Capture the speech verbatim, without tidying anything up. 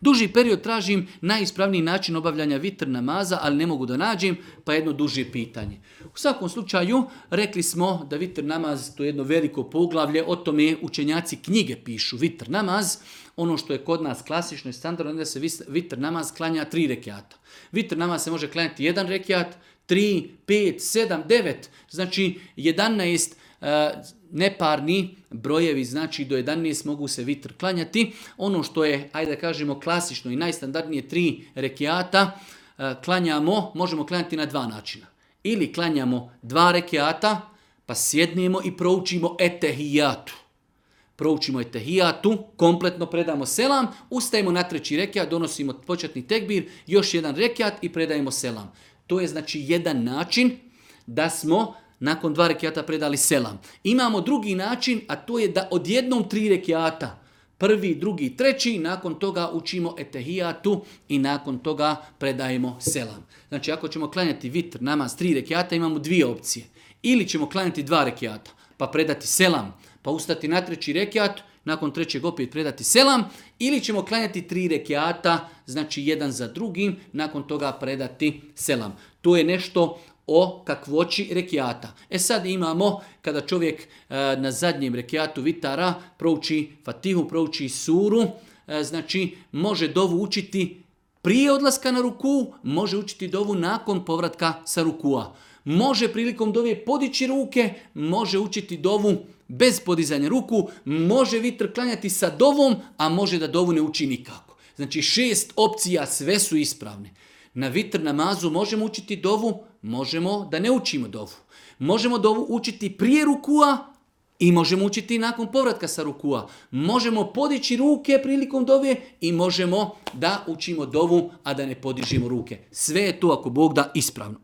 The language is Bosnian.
Duži period tražim najispravniji način obavljanja vitr namaza, ali ne mogu da nađem, pa jedno duže pitanje. U svakom slučaju, rekli smo da vitr namaz, to je jedno veliko poglavlje, o tome učenjaci knjige pišu. Vitr namaz, ono što je kod nas klasično i standardno, da se vitr namaz klanja tri rekiata. Vitr namaz se može klanjati jedan rekiat, tri, pet, sedam, devet, znači jedanaest uh, neparni brojevi, znači do jedanaest mogu se vitr klanjati. Ono što je, ajde da kažemo, klasično i najstandardnije tri rekiata, uh, klanjamo, možemo klanjati na dva načina. Ili klanjamo dva rekiata, pa sjednemo i proučimo etehijatu. Proučimo etehijatu, kompletno predamo selam, ustajemo na treći rekiat, donosimo početni tekbir, još jedan rekiat i predajemo selam. To je znači jedan način da smo nakon dva rekiata predali selam. Imamo drugi način, a to je da odjednom tri rekiata, prvi, drugi, treći, nakon toga učimo etehijatu i nakon toga predajemo selam. Znači ako ćemo klanjati vitr namaz tri rekiata, imamo dvije opcije. Ili ćemo klanjati dva rekiata, pa predati selam, pa ustati na treći rekiat, nakon trećeg opet predati selam, ili ćemo klanjati tri rekiata, znači jedan za drugim, nakon toga predati selam. To je nešto o kakvoći rekiata. E sad imamo, kada čovjek e, na zadnjem rekiatu vitara prouči Fatihu, prouči suru, e, znači može dovu učiti prije odlaska na ruku, može učiti dovu nakon povratka sa rukua. Može prilikom dove podići ruke, može učiti dovu bez podizanja ruku, može vitr klanjati sa dovom, a može da dovu ne uči nikako. Znači šest opcija, sve su ispravne. Na vitr namazu možemo učiti dovu, možemo da ne učimo dovu. Možemo dovu učiti prije rukua i možemo učiti nakon povratka sa rukua. Možemo podići ruke prilikom dove i možemo da učimo dovu, a da ne podižimo ruke. Sve je to, ako Bog da, ispravno.